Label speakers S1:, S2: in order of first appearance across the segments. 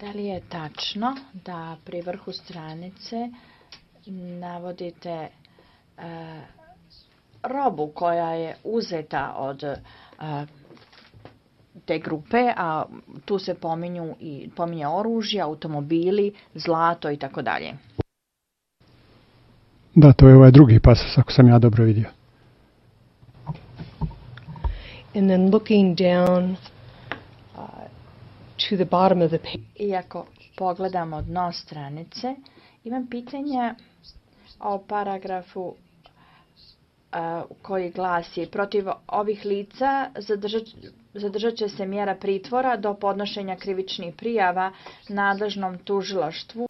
S1: Da li je tačno da pri vrhu stranice navodite robu koja je uzeta od te grupe, a tu se pominje oružje, automobili, zlato i tako dalje?
S2: Da, to je ovaj drugi pasus, ako sam ja dobro vidio.
S3: And then looking down to the bottom of the page.
S1: Iako pogledamo dno stranice, imam pitanje o paragrafu koji glasi: protiv ovih lica zadržat će se mjera pritvora do podnošenja krivičnih prijava nadležnom tužilaštvu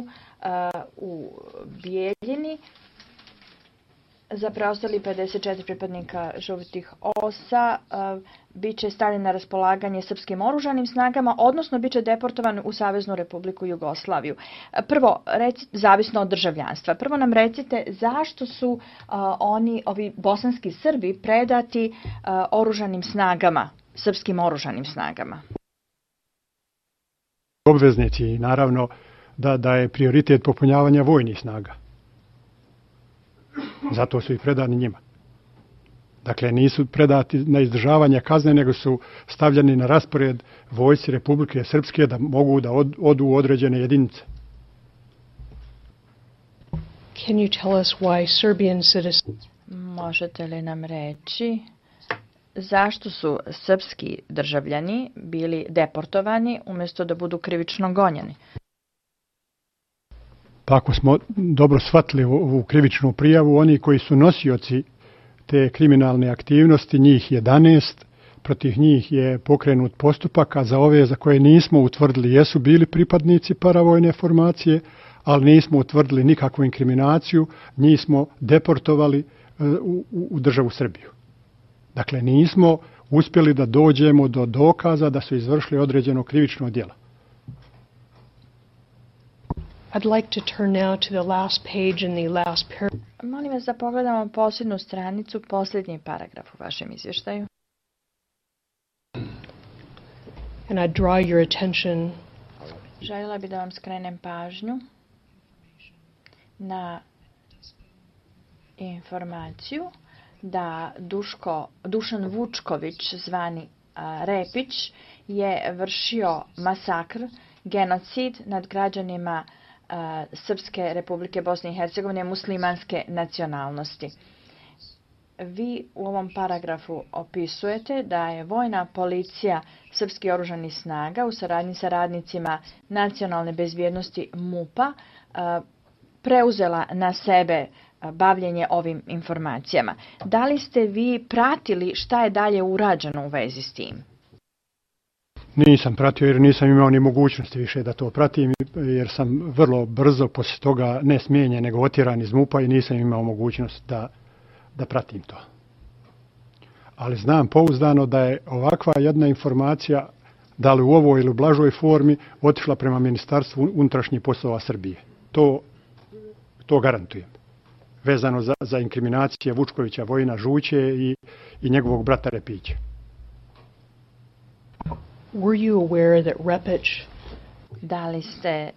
S1: u Bijeljini. Za preostali 54 pripadnika žutih osa bit će stavljen na raspolaganje srpskim oružanim snagama, odnosno bit će deportovan u Saveznu Republiku Jugoslaviju. Prvo, zavisno od državljanstva. Prvo nam recite zašto su ovi bosanski Srbi predati oružanim snagama, srpskim oružanim snagama?
S2: Obveznici, naravno, da je prioritet popunjavanja vojnih snaga. Zato su i predani njima. Dakle, nisu predati na izdržavanje kazne, nego su stavljeni na raspored vojsci Republike Srpske da mogu da odu u određene jedinice.
S3: Can you tell us why Serbian citizens?
S1: Možete li nam reći zašto su srpski državljani bili deportovani umjesto da budu krivično gonjeni?
S2: Pa ako smo dobro shvatili ovu krivičnu prijavu, oni koji su nosioci te kriminalne aktivnosti, njih 11, protiv njih je pokrenut postupak, a za ove za koje nismo utvrdili jesu bili pripadnici paravojne formacije, ali nismo utvrdili nikakvu inkriminaciju, njih smo deportovali u državu Srbiju. Dakle, nismo uspjeli da dođemo do dokaza da su izvršili određeno krivično djelo.
S3: I'd like to turn now to the last page in the last paragraph.
S1: Molim vas da pogledamo posljednju stranicu, posljednji paragraf u vašem izvještaju.
S3: And I draw your attention.
S1: Željela bih da vam skrenem pažnju na informaciju da Dušan Vučković, zvani Repić, je vršio masakr, genocid nad građanima Srpske Republike Bosne i Hercegovine muslimanske nacionalnosti. Vi u ovom paragrafu opisujete da je vojna policija srpskih oružanih snaga u saradnji sa radnicima nacionalne bezbjednosti MUP-a preuzela na sebe bavljenje ovim informacijama. Da li ste vi pratili šta je dalje urađeno u vezi s tim?
S2: Nisam pratio jer nisam imao ni mogućnosti više da to pratim, jer sam vrlo brzo poslije toga ne smijenjen nego otjeran iz MUP-a i nisam imao mogućnost da pratim to. Ali znam pouzdano da je ovakva jedna informacija, da li u ovoj ili u blažoj formi, otišla prema Ministarstvu unutrašnjih poslova Srbije. To garantujem. Vezano za inkriminacije Vučkovića, Vojina Žuće i njegovog brata Repića.
S3: Were you aware that Repić...
S1: Da li ste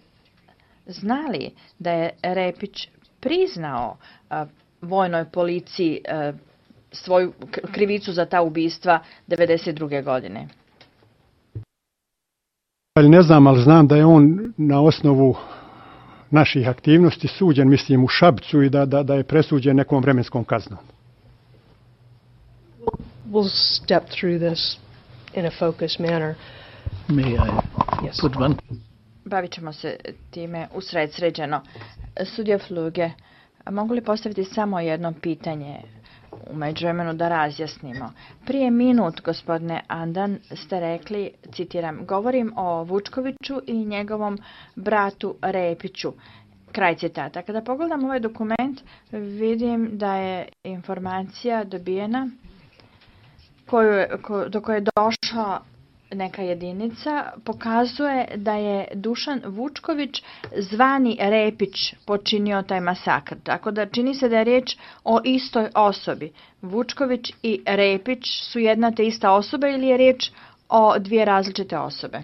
S1: znali da je Repić priznao vojnoj policiji svoju krivicu za ta ubistva 1992. godine?
S2: Ne znam, ali znam da je on na osnovu naših aktivnosti suđen, mislim, u Šapcu i da je presuđen nekom vremenskom kaznom.
S3: We'll step through this in a focused manner.
S4: May I put one?
S1: Bavit ćemo se time usredsređeno. Sudija Fluge, mogu li postaviti samo jedno pitanje u međuvremenu da razjasnimo? Prije minut, gospodine Andan, ste rekli, citiram, govorim o Vučkoviću i njegovom bratu Repiću. Kraj citata. Kada pogledam ovaj dokument, vidim da je informacija dobijena do koje je došla neka jedinica, pokazuje da je Dušan Vučković, zvani Repić, počinio taj masakr. Tako da čini se da je riječ o istoj osobi. Vučković i Repić su jedna te ista osoba ili je riječ o dvije različite osobe?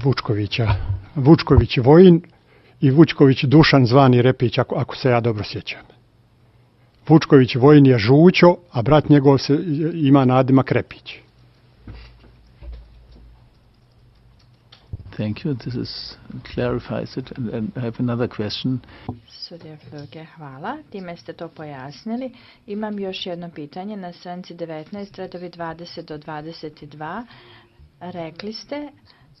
S2: Vučkovića. Vučković Vojin i Vučković Dušan zvani Repić, ako se ja dobro sjećam. Vučković Vojin je Žućo, a brat njegov ima nadimak Repić.
S4: Thank you. This clarifies it. And I have another question.
S1: Sudija Fluge, hvala. Time ste to pojasnili. Imam još jedno pitanje. Na stranici 19, redovi 20 do 22, rekli ste,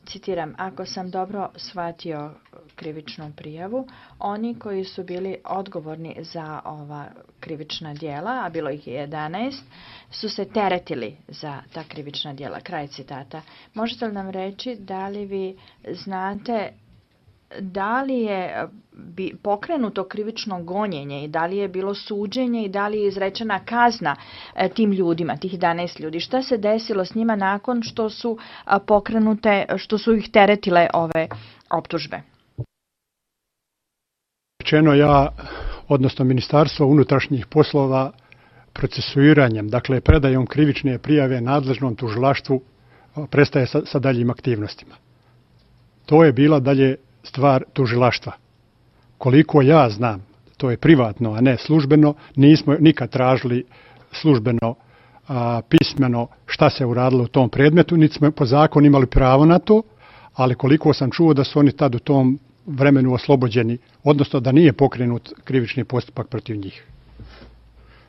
S1: citiram, ako sam dobro shvatio krivičnu prijavu, oni koji su bili odgovorni za ova krivična djela, a bilo ih je 11, su se teretili za ta krivična djela. Kraj citata. Možete li nam reći da li vi znate da li je pokrenuto krivično gonjenje i da li je bilo suđenje i da li je izrečena kazna tim ljudima, tih 11 ljudi? Šta se desilo s njima nakon što su pokrenute, što su ih teretile ove optužbe?
S2: Rečeno ja, odnosno Ministarstvo unutrašnjih poslova, procesuiranjem, dakle predajom krivične prijave nadležnom tužilaštvu, prestaje sa daljim aktivnostima. To je bila dalje stvar tužilaštva. Koliko ja znam, to je privatno, a ne službeno, nismo nikad tražili službeno, pismeno šta se uradilo u tom predmetu, niti smo po zakonu imali pravo na to, ali koliko sam čuo da su oni tad u tom vremenu oslobođeni, odnosno da nije pokrenut krivični postupak protiv njih.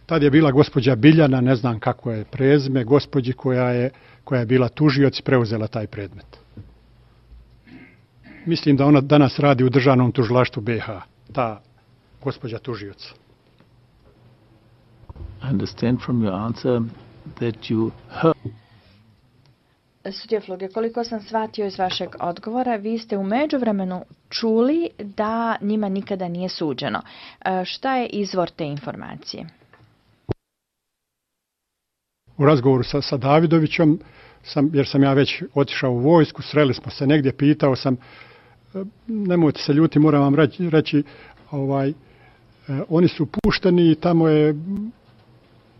S2: Tad je bila gospođa Biljana, ne znam kako je prezime, gospođi koja je bila tužioc i preuzela taj predmet. Mislim da ona danas radi u državnom tužilaštvu BiH, ta gospođa tužioc.
S4: I understand from your answer that you heard.
S1: Sudija Fluge, koliko sam shvatio iz vašeg odgovora, vi ste u međuvremenu čuli da njima nikada nije suđeno. Šta je izvor te informacije?
S2: U razgovoru sa Davidovićem, jer sam ja već otišao u vojsku, sreli smo se negdje, pitao sam, nemojte se ljuti, moram vam reći, oni su pušteni i tamo je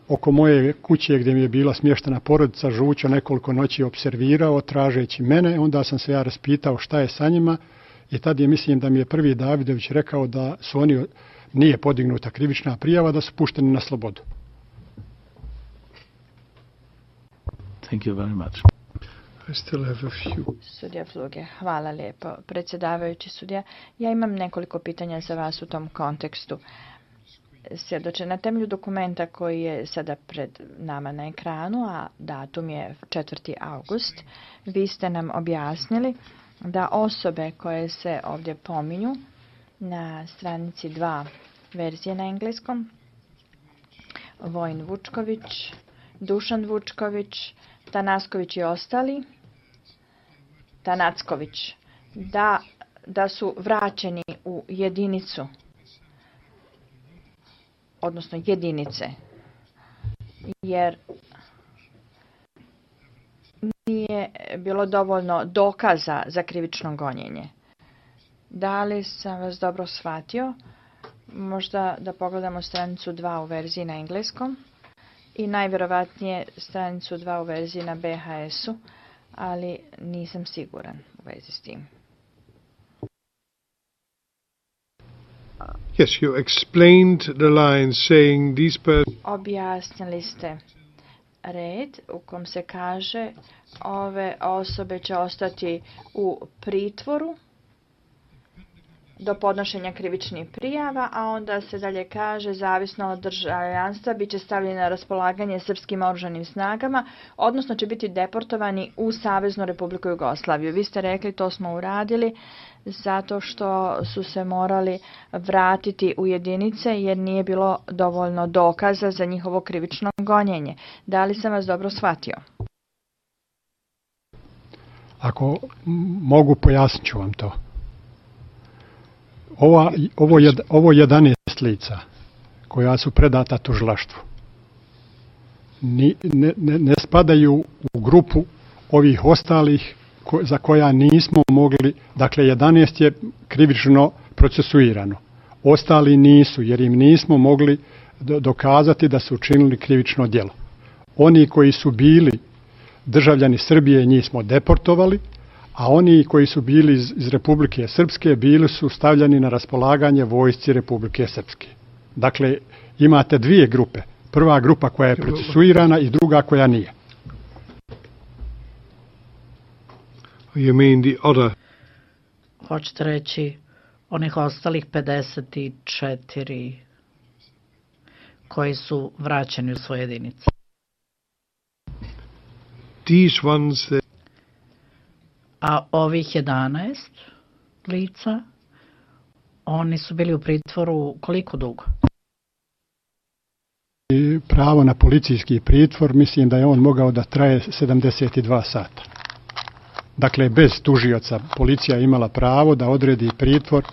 S2: oko moje kuće gdje mi je bila smještena porodica Žućo nekoliko noći observirao tražeći mene, onda sam se ja raspitao šta je sa njima i tad je, mislim da mi je prvi Davidović rekao da su oni, nije podignuta krivična prijava, da su pušteni na slobodu.
S4: Thank you very much.
S5: I still have a few.
S1: Sudija Fluge, hvala lijepo. Predsjedavajući sudija, ja imam nekoliko pitanja za vas u tom kontekstu. Svjedoče, na temelju dokumenta koji je sada pred nama na ekranu, a datum je 4. august, vi ste nam objasnili da osobe koje se ovdje pominju na stranici 2 verzije na engleskom, Vojin Vučković, Dušan Vučković, Tanasković i ostali, Tanacković, da su vraćeni u jedinicu, odnosno jedinice, jer nije bilo dovoljno dokaza za krivično gonjenje. Da li sam vas dobro shvatio? Možda da pogledamo stranicu 2 u verziji na engleskom i najvjerovatnije stranicu 2 u verziji na BHS-u, ali nisam siguran u vezi s tim.
S5: Yes, you explained the line saying these persons.
S1: Objasnili ste red u kom se kaže ove osobe će ostati u pritvoru do podnošenja krivičnih prijava, a onda se dalje kaže zavisno od državljanstva bit će stavljeni na raspolaganje srpskim oružanim snagama, odnosno će biti deportovani u Saveznu Republiku Jugoslaviju. Vi ste rekli to smo uradili zato što su se morali vratiti u jedinice jer nije bilo dovoljno dokaza za njihovo krivično gonjenje. Da li sam vas dobro shvatio?
S2: Ako mogu, pojasnit ću vam to. Ovo 11 lica koja su predata tužilaštvu ne spadaju u grupu ovih ostalih za koja nismo mogli, dakle 11 je krivično procesuirano. Ostali nisu jer im nismo mogli dokazati da su učinili krivično djelo. Oni koji su bili državljani Srbije njih smo deportovali, a oni koji su bili iz Republike Srpske bili su stavljani na raspolaganje vojsci Republike Srpske. Dakle, imate dvije grupe. Prva grupa koja je procesuirana i druga koja nije.
S5: You mean the other?
S6: Hoćete reći onih ostalih 54 koji su vraćeni u svoje jedinice.
S5: These ones that
S6: A ovih 11 lica, oni su bili u pritvoru koliko dugo?
S2: I pravo na policijski pritvor, mislim da je on mogao da traje 72 sata. Dakle, bez tužioca policija imala pravo da odredi pritvor,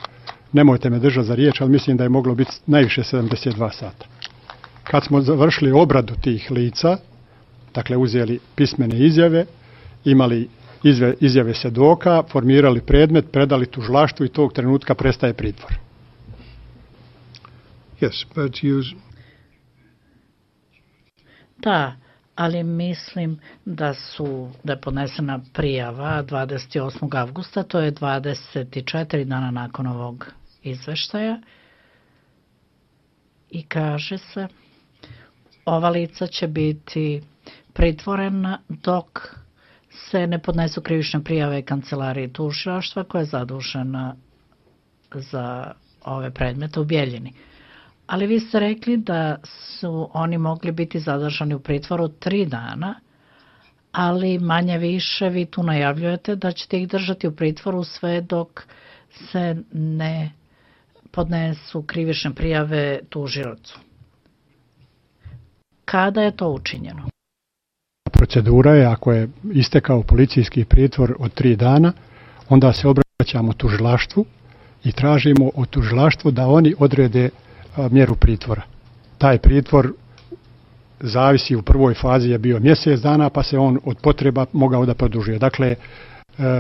S2: nemojte me držati za riječ, ali mislim da je moglo biti najviše 72 sata. Kad smo završili obradu tih lica, dakle uzeli pismene izjave, imali izjave svjedoka, formirali predmet, predali tužilaštvu i tog trenutka prestaje pritvor.
S5: yes, but you
S6: Da, ali mislim da je podnesena prijava 28. avgusta, to je 24 dana nakon ovog izveštaja i kaže se ova lica će biti pritvorena dok se ne podnesu krivične prijave kancelariji tužilaštva koja je zadužena za ove predmete u Bijeljini. Ali vi ste rekli da su oni mogli biti zadržani u pritvoru 3 dana, ali manje više vi tu najavljujete da ćete ih držati u pritvoru sve dok se ne podnesu krivične prijave tužiocu. Kada je to učinjeno?
S2: Procedura je, ako je istekao policijski pritvor od 3 dana, onda se obraćamo tužilaštvu i tražimo od tužilaštva da oni odrede mjeru pritvora. Taj pritvor zavisi, u prvoj fazi je bio mjesec dana, pa se on od potreba mogao da produžuje. Dakle,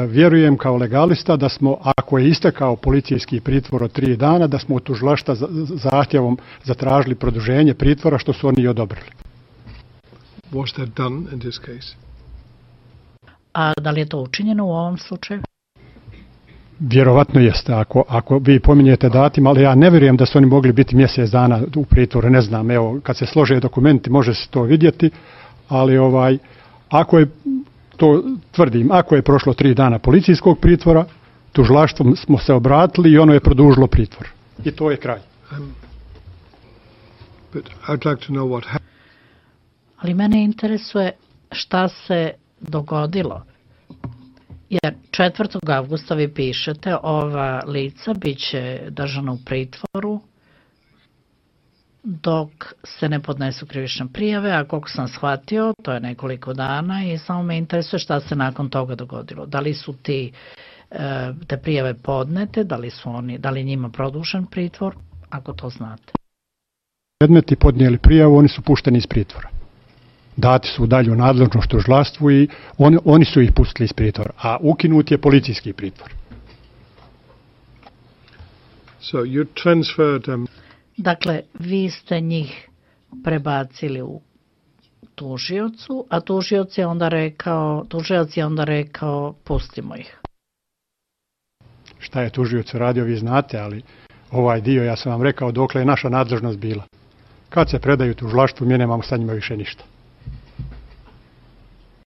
S2: vjerujem kao legalista da smo, ako je istekao policijski pritvor od 3 dana, da smo od tužilaštva zahtjevom zatražili produženje pritvora, što su oni i odobrili.
S5: was that done in this case?
S6: A da li je to učinjeno u ovom slučaju?
S2: Vjerovatno jeste, ako vi pominjete datum, ali ja ne vjerujem da su oni mogli biti mjesec dana u pritvoru, ne znam, evo, kad se slože dokumenti može se to vidjeti, ali ako je, to tvrdim, ako je prošlo 3 dana policijskog pritvora, tužilaštvom smo se obratili i ono je produžilo pritvor. I to je kraj.
S5: But I'd like to know what happened.
S6: Ali mene interesuje šta se dogodilo. Jer 4. avgusta vi pišete ova lica bit će držana u pritvoru dok se ne podnesu krivične prijave, a koliko sam shvatio, to je nekoliko dana i samo me interesuje šta se nakon toga dogodilo. Da li su te prijave podnete, da li njima produžen pritvor, ako to znate.
S2: Predmeti podnijeli prijavu, oni su pušteni iz pritvora. Dati su u dalju nadležnost tužilaštvu i oni su ih pustili iz pritvora, a ukinut je policijski pritvor.
S5: So you transferred them.
S6: Dakle, vi ste njih prebacili u tužiocu, a tužilac je onda rekao pustimo ih.
S2: Šta je tužioc radio, vi znate, ali ovaj dio ja sam vam rekao dokle je naša nadležnost bila. Kad se predaju tužilaštvu, mi nemamo sa njima više ništa.